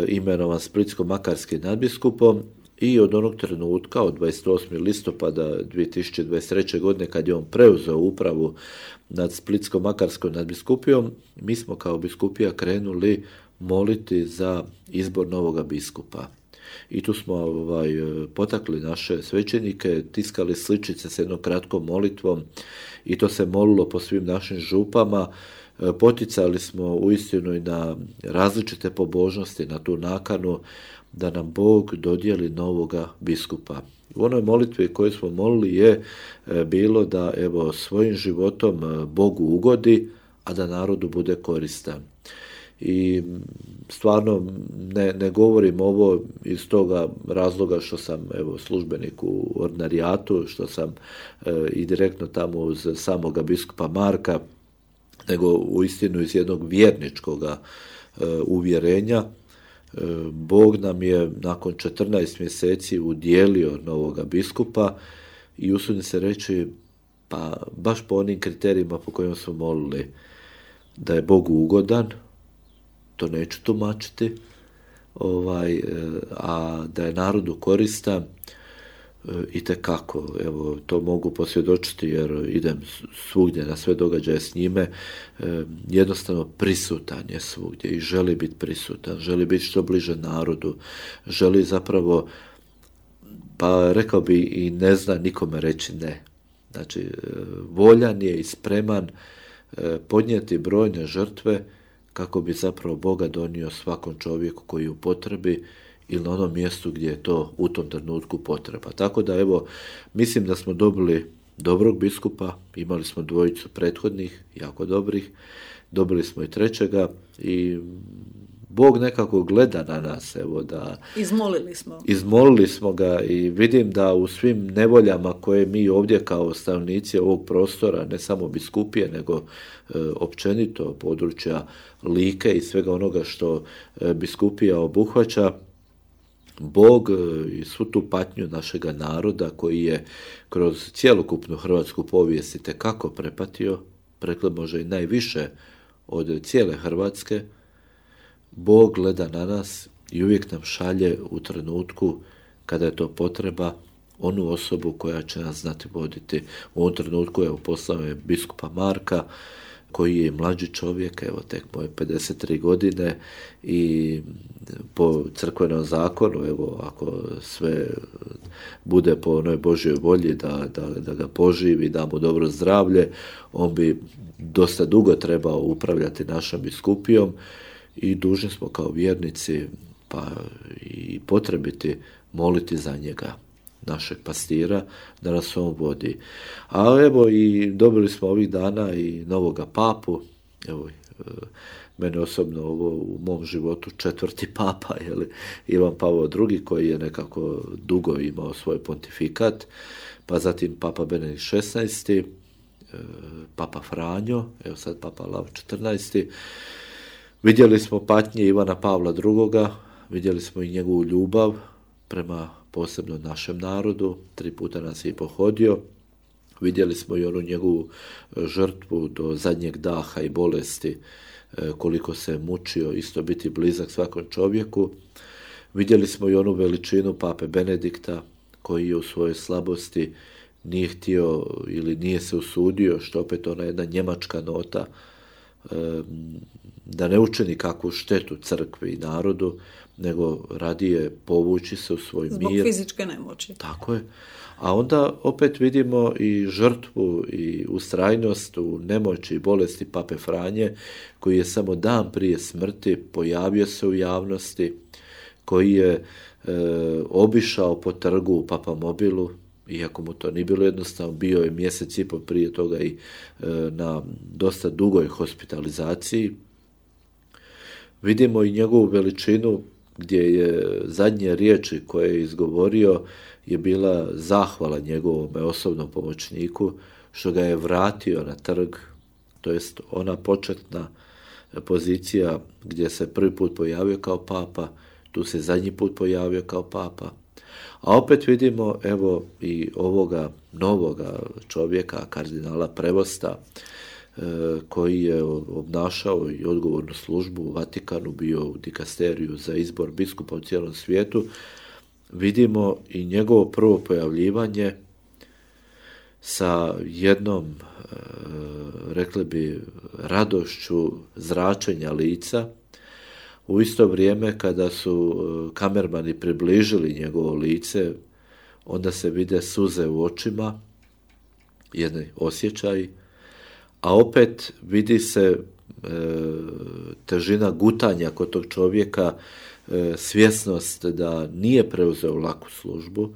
imenovan splitsko-makarskim nadbiskupom. I od onog trenutka, od dvadeset osmog listopada dvije tisuće dvadeset treće. godine, kad je on preuzeo upravu nad Splitsko-makarskom nadbiskupijom, mi smo kao biskupija krenuli moliti za izbor novoga biskupa. I tu smo ovaj, potakli naše svećenike, tiskali sličice s jednom kratkom molitvom i to se molilo po svim našim župama. Poticali smo uistinu i na različite pobožnosti, na tu nakanu da nam Bog dodijeli novoga biskupa. U onoj molitvi koju smo molili je bilo da evo svojim životom Bogu ugodi, a da narodu bude koristan. I stvarno ne, ne govorim ovo iz toga razloga što sam evo službenik u ordinarijatu, što sam e, i direktno tamo uz samoga biskupa Marka, nego uistinu iz jednog vjerničkog e, uvjerenja. E, Bog nam je nakon četrnaest mjeseci udjelio novoga biskupa i usudim se reći, pa baš po onim kriterijima po kojima smo molili, da je Bogu ugodan, to neću tumačiti, ovaj, a da je narodu koristan, itekako, evo, to mogu posvjedočiti jer idem svugdje na sve događaje s njime, jednostavno prisutan je svugdje i želi biti prisutan, želi biti što bliže narodu, želi zapravo, pa rekao bi i ne zna nikome reći ne. Znači, voljan je i spreman podnijeti brojne žrtve kako bi zapravo Boga donio svakom čovjeku koji je u potrebi ili na onom mjestu gdje je to u tom trenutku potreba. Tako da evo, mislim da smo dobili dobrog biskupa, imali smo dvojicu prethodnih, jako dobrih, dobili smo i trećega i Bog nekako gleda na nas, evo da... Izmolili smo. Izmolili smo ga i vidim da u svim nevoljama koje mi ovdje kao stanovnici ovog prostora, ne samo biskupije, nego e, općenito područja Like i svega onoga što e, biskupija obuhvaća, Bog e, i svu tu patnju našega naroda koji je kroz cjelokupnu hrvatsku povijest itekako prepatio, rekli može i najviše od cijele Hrvatske, Bog gleda na nas i uvijek nam šalje u trenutku kada je to potreba onu osobu koja će nas znati voditi. U ovom trenutku evo poslao je biskupa Marka koji je mlađi čovjek, evo tek moje pedeset tri godine i po crkvenom zakonu, evo ako sve bude po onoj Božjoj volji da, da, da ga poživi, da mu dobro zdravlje, on bi dosta dugo trebao upravljati našom biskupijom i dužni smo kao vjernici pa i potrebiti moliti za njega, našeg pastira, da nas on vodi. A evo i dobili smo ovih dana i novoga papu, evo mene osobno ovo u mom životu četvrti papa, jeli, Ivan Pavao drugi koji je nekako dugo imao svoj pontifikat, pa zatim papa Benedikt šesnaesti, papa Franjo, evo sad papa Lav četrnaesti. Vidjeli smo patnje Ivana Pavla drugoga, vidjeli smo i njegovu ljubav prema posebno našem narodu, tri puta nas je pohodio. Vidjeli smo i onu njegovu žrtvu do zadnjeg daha i bolesti, koliko se je mučio isto biti blizak svakom čovjeku. Vidjeli smo i onu veličinu pape Benedikta koji je u svojoj slabosti nije htio ili nije se usudio, što opet ona jedna njemačka nota, da ne učini kakvu štetu crkvi i narodu, nego radije povući se u svoj Zbog mir. Zbog fizičke nemoći. Tako je. A onda opet vidimo i žrtvu i ustrajnost u nemoći i bolesti pape Franje, koji je samo dan prije smrti pojavio se u javnosti, koji je e, obišao po trgu u Papamobilu, iako mu to nije bilo jednostavno, bio je mjesec i pol prije toga i e, na dosta dugoj hospitalizaciji. Vidimo i njegovu veličinu gdje je zadnje riječi koje je izgovorio je bila zahvala njegovom osobnom pomoćniku što ga je vratio na trg, to jest ona početna pozicija gdje se prvi put pojavio kao papa, tu se zadnji put pojavio kao papa. A opet vidimo evo i ovoga novoga čovjeka, kardinala Prevosta, koji je obnašao i odgovornu službu u Vatikanu, bio u dikasteriju za izbor biskupa u cijelom svijetu. Vidimo i njegovo prvo pojavljivanje sa jednom, rekli bi, radošću zračenja lica. U isto vrijeme kada su kamermani približili njegovo lice, onda se vide suze u očima, jedni osjećaj, a opet vidi se e, težina gutanja kod tog čovjeka, e, svjesnost da nije preuzeo laku službu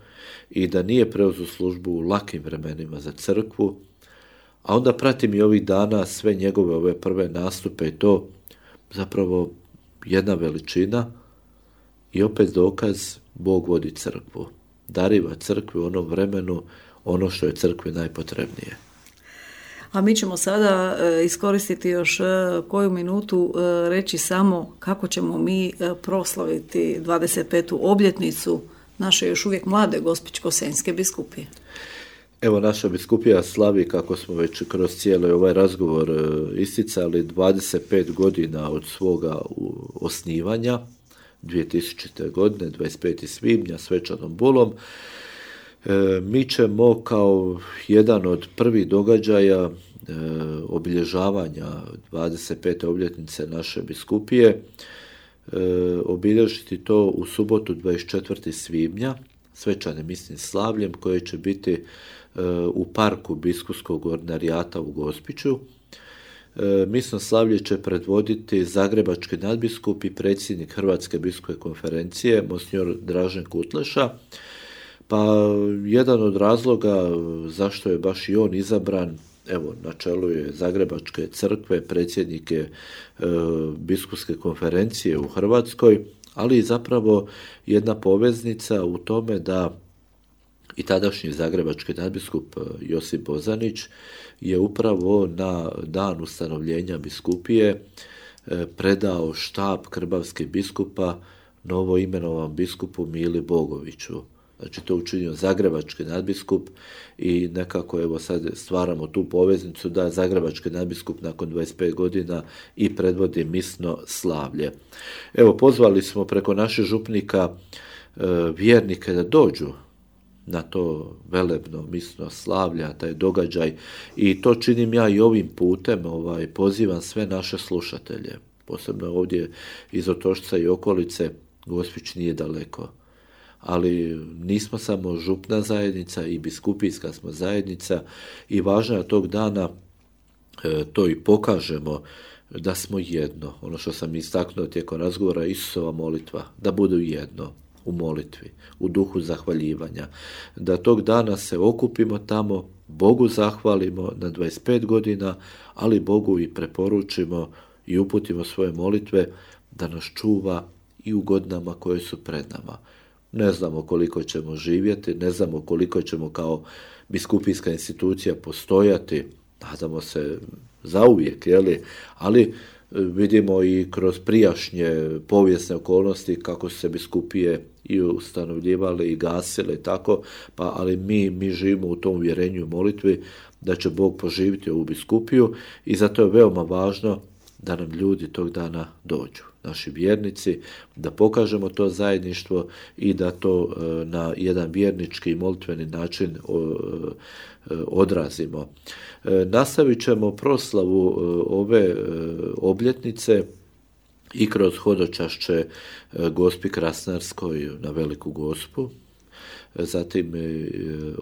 i da nije preuzeo službu u lakim vremenima za crkvu, a onda pratim i ovih dana sve njegove ove prve nastupe i to zapravo jedna veličina i opet dokaz Bog vodi crkvu. Dariva crkvi u onom vremenu ono što je crkvi najpotrebnije. A mi ćemo sada iskoristiti još koju minutu reći samo kako ćemo mi proslaviti dvadeset petu obljetnicu naše još uvijek mlade Gospićko-senjske biskupije. Evo, naša biskupija slavi, kako smo već kroz cijeli ovaj razgovor isticali, dvadeset pet godina od svoga osnivanja, dvije tisućite. godine, dvadeset petog svibnja, svečanom bulom. E, mi ćemo kao jedan od prvih događaja e, obilježavanja dvadeset pete obljetnice naše biskupije e, obilježiti to u subotu dvadeset četvrtog svibnja svečanim misnim slavljem koje će biti e, u parku biskupskog ordinarijata u Gospiću. E, misno slavlje će predvoditi zagrebački nadbiskup i predsjednik Hrvatske biskupske konferencije monsignor Dražen Kutleša. Pa jedan od razloga zašto je baš i on izabran evo, na čelu je Zagrebačke crkve, predsjednik je e, biskupske konferencije u Hrvatskoj, ali i zapravo jedna poveznica u tome da i tadašnji zagrebački nadbiskup Josip Bozanić je upravo na dan ustanovljenja biskupije predao štab krbavskih biskupa novo imenovan biskupu Mili Bogoviću. Znači to učinio zagrebački nadbiskup i nekako evo sad stvaramo tu poveznicu da zagrebački nadbiskup nakon dvadeset pet godina i predvodi misno slavlje. Evo pozvali smo preko naših župnika e, vjernike da dođu na to velebno misno slavlja, taj događaj, i to činim ja i ovim putem, ovaj, pozivam sve naše slušatelje, posebno ovdje iz Otočca i okolice. Gospić nije daleko, ali nismo samo župna zajednica, i biskupijska smo zajednica, i važno je tog dana e, to i pokažemo da smo jedno. Ono što sam istaknuo tijekom razgovora, Isusova molitva, da budu jedno u molitvi, u duhu zahvaljivanja, da tog dana se okupimo tamo, Bogu zahvalimo na dvadeset pet godina, ali Bogu i preporučimo i uputimo svoje molitve da nas čuva i u godinama koje su pred nama. Ne znamo koliko ćemo živjeti, ne znamo koliko ćemo kao biskupijska institucija postojati, nadamo se zauvijek, jeli? Ali vidimo i kroz prijašnje povijesne okolnosti kako su se biskupije i ustanovljivale i gasile i tako, pa ali mi, mi živimo u tom uvjerenju i molitvi da će Bog poživiti ovu biskupiju, i zato je veoma važno da nam ljudi tog dana dođu, naši vjernici, da pokažemo to zajedništvo i da to e, na jedan vjernički i molitveni način o, e, odrazimo. E, nastavit ćemo proslavu e, ove e, obljetnice i kroz hodočašće e, Gospi Krasnarskoj na Veliku Gospu, zatim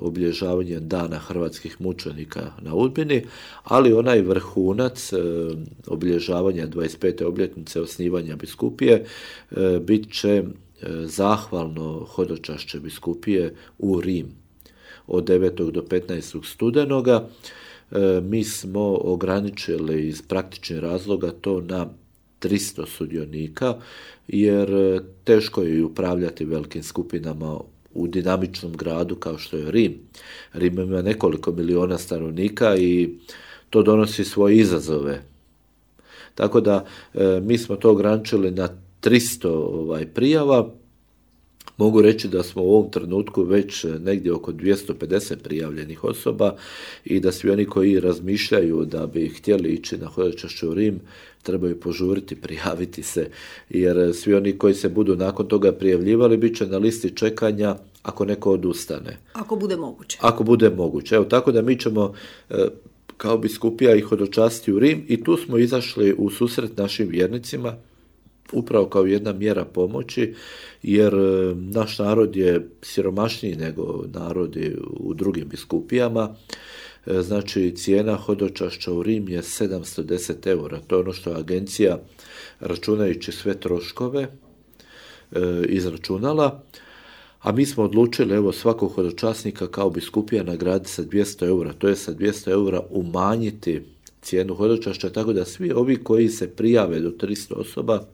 obilježavanje dana hrvatskih mučenika na Udbini, ali onaj vrhunac obilježavanja dvadeset pete obljetnice osnivanja biskupije bit će zahvalno hodočašće biskupije u Rim od devetog do petnaestog studenoga. Mi smo ograničili iz praktičnih razloga to na tristo sudionika, jer teško je upravljati velikim skupinama u dinamičnom gradu kao što je Rim. Rim ima nekoliko miliona stanovnika i to donosi svoje izazove. Tako da e, mi smo to ograničili na tristo ovaj, prijava. Mogu reći da smo u ovom trenutku već negdje oko dvjesto pedeset prijavljenih osoba, i da svi oni koji razmišljaju da bi htjeli ići na hodočašće u Rim trebaju požuriti, prijaviti se, jer svi oni koji se budu nakon toga prijavljivali bit će na listi čekanja ako neko odustane. Ako bude moguće. Ako bude moguće. Evo, tako da mi ćemo kao biskupija ih hodočastiti u Rim, i tu smo izašli u susret našim vjernicima upravo kao jedna mjera pomoći, jer naš narod je siromašniji nego narodi u drugim biskupijama. Znači, cijena hodočašća u Rim je sedamsto deset eura. To je ono što je agencija, računajući sve troškove, izračunala. A mi smo odlučili, evo, svakog hodočasnika kao biskupija nagraditi sa dvjesto eura. To je sa dvjesto eura umanjiti cijenu hodočašća, tako da svi ovi koji se prijave do tristo osoba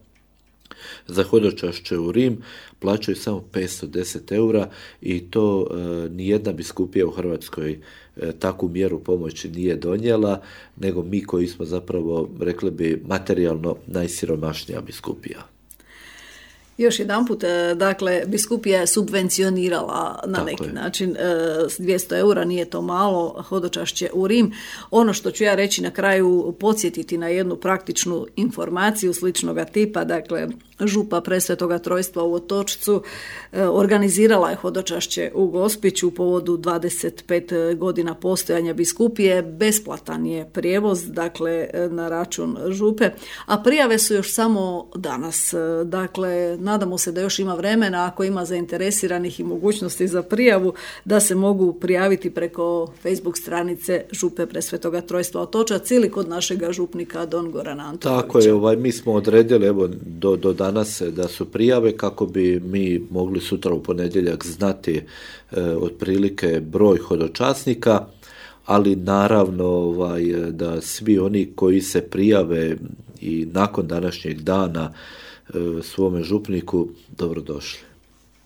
za hodočašće u Rim plaćaju samo petsto deset eura, i to e, nijedna biskupija u Hrvatskoj e, takvu mjeru pomoći nije donijela, nego mi koji smo zapravo, rekli bi, materijalno najsiromašnija biskupija. Još jedanput, dakle, biskupija je subvencionirala na Tako neki je. način s dvjesto eura, nije to malo, hodočašće u Rim. Ono što ću ja reći na kraju, podsjetiti na jednu praktičnu informaciju sličnoga tipa, dakle, župa Presvetoga Trojstva u Otočcu organizirala je hodočašće u Gospiću u povodu dvadeset pet godina postojanja biskupije. Besplatan je prijevoz, dakle, na račun župe, a prijave su još samo danas. Dakle, nadamo se da još ima vremena, ako ima zainteresiranih i mogućnosti za prijavu, da se mogu prijaviti preko Facebook stranice župe Presvetoga Trojstva Otočac ili kod našega župnika Don Gorana Antonovića. Tako je, ovaj, mi smo odredili, evo, do, do danas da su prijave kako bi mi mogli sutra u ponedjeljak znati e, otprilike broj hodočasnika, ali naravno ovaj, da svi oni koji se prijave i nakon današnjeg dana svome župniku, dobrodošli.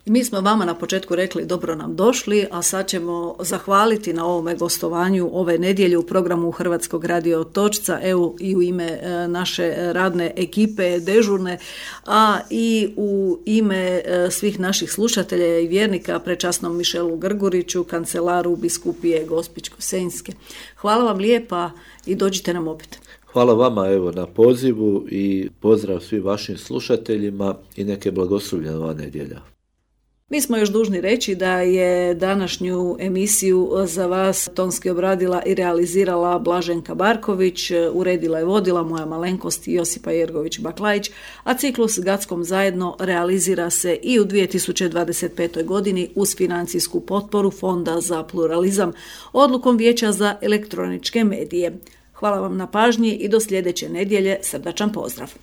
Mi smo vama na početku rekli dobro nam došli, a sad ćemo zahvaliti na ovome gostovanju ove nedjelje u programu Hrvatskog radio Otočca, evo i u ime naše radne ekipe dežurne, a i u ime svih naših slušatelja i vjernika, prečasnom Mišelu Grguriću, kancelaru biskupije Gospićko-senjske. Hvala vam lijepa i dođite nam opet. Hvala vama evo na pozivu i pozdrav svim vašim slušateljima i neke blagoslovljene ova nedjelja. Mi smo još dužni reći da je današnju emisiju za vas tonski obradila i realizirala Blaženka Barković, uredila i vodila moja malenkost Josipa Jergović-Baklajić, a ciklus Gackom zajedno realizira se i u dvije tisuće dvadeset petoj godini uz financijsku potporu Fonda za pluralizam, odlukom Vijeća za elektroničke medije. Hvala vam na pažnji i do sljedeće nedjelje, srdačan pozdrav.